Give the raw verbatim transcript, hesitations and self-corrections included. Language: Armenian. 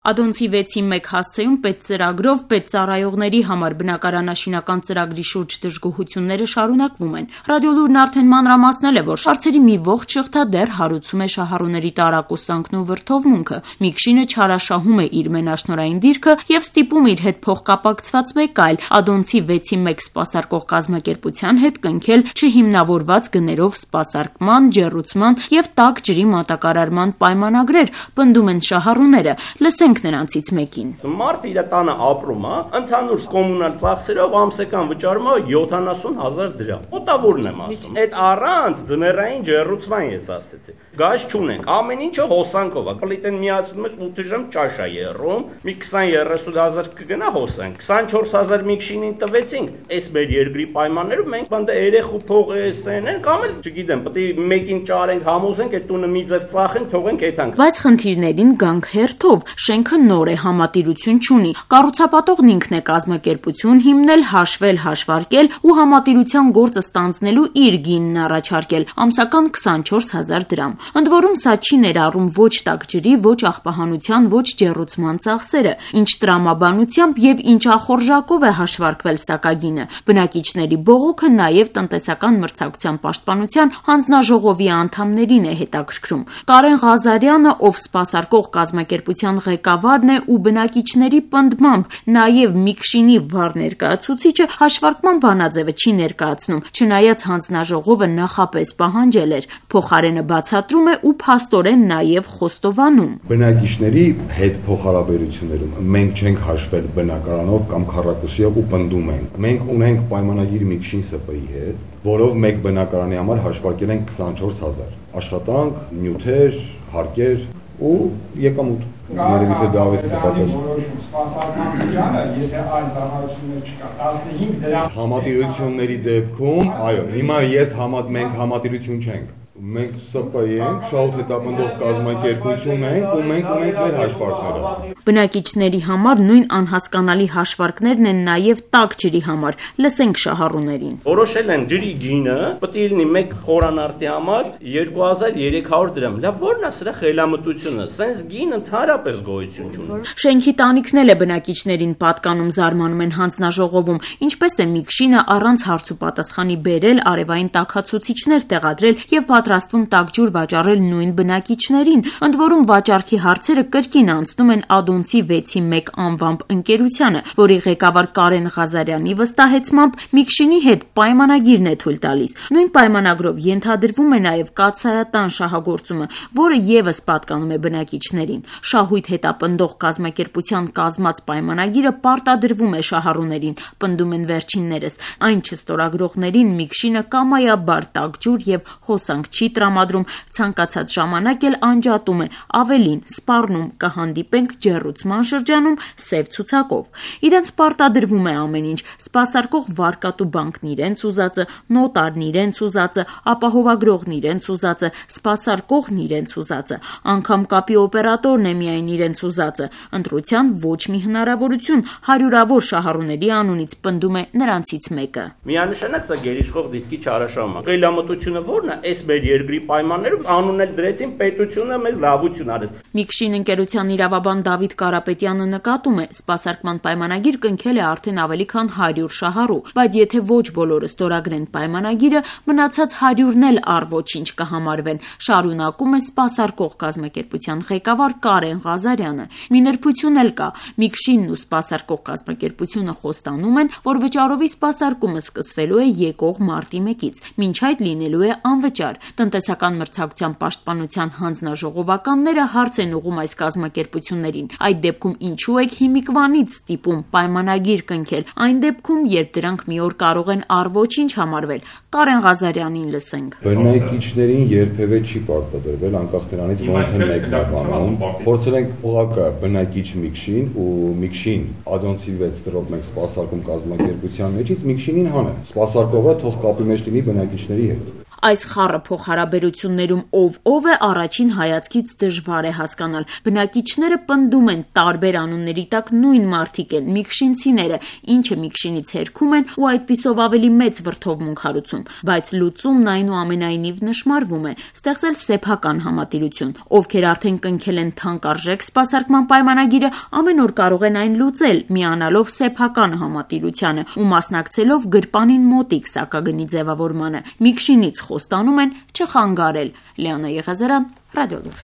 Ադոնցի վեցի մեկ հասցեում պետծրագրով պետծառայողների համար բնակարանաշինական ծրագրի շուրջ դժգոհությունները շարունակվում են։ Ռադիոլուրն արդեն մանրամասնել է, որ հարցերի մի ողջ շղթա դեռ հարուցում է շահառուների տարակուսանքն ու վրդովմունքը։ Միքշինը չարաշահում է իր մենաշնորհային դիրքը եւ ստիպում իր հետ փոխկապակցված մեկ այլ Ադոնցի վեցի մեկ սպասարկող կազմակերպության հետ կնքել չհիմնավորված գներով սպասարկման, ջեռուցման եւ տաք ջրի մատակարարման պայմանագրեր, պնդում են շահառուները։ Լսենք նրանցից մեկին։ Մարդ իր տանը ապրում է, ընդհանուր կոմունալ ծախսերով ամսական վճարում է յոթանասուն հազար դրամ։ Մոտավորն եմ ասում։ Այդ առանց ձմեռային ջեռուցման ես ասեցի։ Գազ չունենք, ամեն ինչը հոսանքով է։ Պլիտեն միացնում ես ութ ժամ ճաշ է եռում, մի քսան երեսուն հազար կգնա հոսանք։ քսանչորս հազար միքշինին տվեցինք, այս մեր երկրի պայմաններում մենք բանդը երեխու փող էսեն են, կամ էլ չգիտեմ, պետք է մեկին ճարենք, համոզենք, այդ տունը մի ձև ծախենք, թողենք այդանք։ Բայց խնդիրներին գանք հերթով, շենքը նոր է, համատիրություն չունի։ Կառուցապատողն ինքն է կազմակերպություն հիմնել, հաշվել, հաշվարկել ու համատիրության գործը ստանձնելու իր գինն առաջարկել, ամսական քսանչորս հազար դրամ։ Ընդ որում սա չի ներառում ոչ տաք ջրի, ոչ աղբահանության, ոչ ջեռուցման ծախսերը, ինչ տրամաբանությամբ եւ ինչ ախորժակով է հաշվարկվել սակագինը։ Բնակիչների բողոքը նաեւ տնտեսական մրցակցության պաշտպանության հանձնաժողովի անդամներին է հետաքրքրում։ Կարեն Ղազարյանը, ով սպասարկող կազմակերպության ղեկավարն է ու բնակիչների պնդմամբ նաեւ Միքշինի վառ ներկայացուցիչը, հաշվարկման բանաձևը չի ներկայացնում, չնայած հանձնաժողովը նախապես պահանջել էր։ Փոխարենը բացատրում է ու փաստորեն նաեւ խոստովանում։ Բնակիչների հետ փոխհարաբերություններում մենք չենք հաշվել բնակարանով կամ քառակուսիով ու պնդում ենք։ Մենք ունենք պայմանագիր Միքշին ՍՊ-ի հետ, որով մեկ բնակարանի համար հաշվարկել ենք քսանչորս հազար։ Աշխատանք, նյութեր, հարկեր ու եկամուտ։ Երևի թե Դավիթը կպատասխանի։ Սպասարկման բաժանը, եթե այլ ծառայություններ չկա, տասնհինգ դրամ։ Համատիրությունների դեպքում, այո, հիմա ես համատ մենք համատիրություն չենք։ Մենք ՍՊ-ի ենք, շահութ հետապնդող կազմակերպություն ենք ու մենք ունենք մեր հաշվարկները։ Բնակիչների համար նույն անհասկանալի հաշվարկներն են նաև տաք ջրի համար։ Լսենք շահառուներին։ Որոշել են ջրի գինը պետք է լինի մեկ խորանարդի համար երկու հազար երեք հարյուր դրամ։ Լավ, ո՞րն է սրա խելամտությունը։ Սենց գին ընդհանրապես գոյություն չունի։ Շենքի տանիքն է բնակիչներին պատկանում, զարմանում են հանձնաժողովում, ինչպես է Միքշինը առանց հարց ու պատասխանի բերել արևային տաքացուցիչներ տեղադրել եւ պատրաստվում տաք ջուր վաճառել նույն բնակիչներին։ Ընդ որում վաճառքի հարցերը կրկին անցնում են Ադոնցի վեցի մեկ անվամբ ընկերությանը, որի ղեկավար Կարեն Ղազարյանի վստահեցմամբ Միքշինի հետ պայմանագիրն է թույլ տալիս։ Նույն պայմանագրով ենթադրվում է նաև կաթսայատան շահագործումը, որը եւս պատկանում է բնակիչներին։ Շահույթ հետապնդող կազմակերպության կազմած պայմանագիրը պարտադրվում է շահառուներին, պնդում են վերջիններս։ Այն չստորագրողներին Միքշինը կամայաբար տաք ջուր եւ հոսանք չի տրամադրում, ցանկացած ժամանակ էլ անջատում է, ավելին սպառնում կհանդիպենք ջեռուցման շրջանում սև ցուցակով։ Իրենց պարտադրվում է ամեն ինչ՝ սպասարկող վարկատու բանկն իրենց ուզածը, նոտարն իրենց ուզածը, ապահովագրողն իրենց ուզածը, սպասարկողն իրենց ուզածը, անգամ կապի օպերատորն է միայն իրենց ուզածը։ Ընտրության ոչ մի հնարավորություն, հարյուրավոր շահառուների անունից պնդում է նրանցից մեկը։ Միանշանակ սա գերիշխող դիրքի չարաշահում է։ Խելամտությունը ո՞րն է, այս մեր երկրի պայմաններում անուն էլ դրեցին պետությունը մեզ լավություն արեց։ Միքշին ընկերության իրավաբան Դավիթ Կարապետյանը նկատում է, սպասարկման պայմանագիր կնքել է արդեն ավելի քան հարյուր շահառու, բայց եթե ոչ բոլորը ստորագրեն պայմանագիրը, մնացած հարյուրն էլ առ ոչինչ կհամարվեն, շարունակում է սպասարկող կազմակերպության ղեկավար Կարեն Ղազարյանը։ Մի նրբություն էլ կա, Միքշինն ու սպասարկող կազմակերպությունը խոստանում են, որ վճարովի սպասարկումը սկսվելու է եկող մարտի մեկից, մինչ այդ լինելու է անվճար։ Տնտեսական մրցակցության պաշտպանության հանձնաժողովականները հարց են ուղղում այս կազմակերպություններին։ Այդ դեպքում ինչու եք հիմիկվանից ստիպում պայմանագիր կնքել, այն դեպքում, երբ դրանք մի օր կարող են առ ոչինչ համարվել։ Կարեն Ղազարյանին լսենք։ Բնակիչներին երբևէ չի պարտադրվել, անկախ նրանից ոնց են մեկնաբանում։ Փորձել ենք ուղղակի բնակիչ Միքշին ու Միքշին Ադոնցի վեց դրով մենք սպասարկում կազմակերպության մեջից Միքշինին հանել։ Սպասարկողը թող կապի մեջ լինի բնակիչների հետ։ Այս խառը փոխհարաբերություններում ով ով է առաջին հայացքից դժվար է հասկանալ։ Բնակիչները պնդում են տարբեր անունների տակ նույն մարդիկ են՝ միքշինցիները, ինչը միքշինից հերքում են ու այդպիսով ավելի մեծ վրդովմունք հարուցում, բայց լուծումն այնուամենայնիվ նշմարվում է՝ ստեղծել սեփական համատիրություն։ Ովքեր արդեն կնքել են թանկարժեք սպասարկման պայմանագիրը, ամեն օր կարող են այն լուծել՝ միանալով սեփական համատիրությանը ու մասնակցելով գրպանին մոտիկ սակագնի ձևավորմանը։ Միքշինից խոստանում են չխանգարել։ Լիանա Եղազարյան, Ռադիոլուր։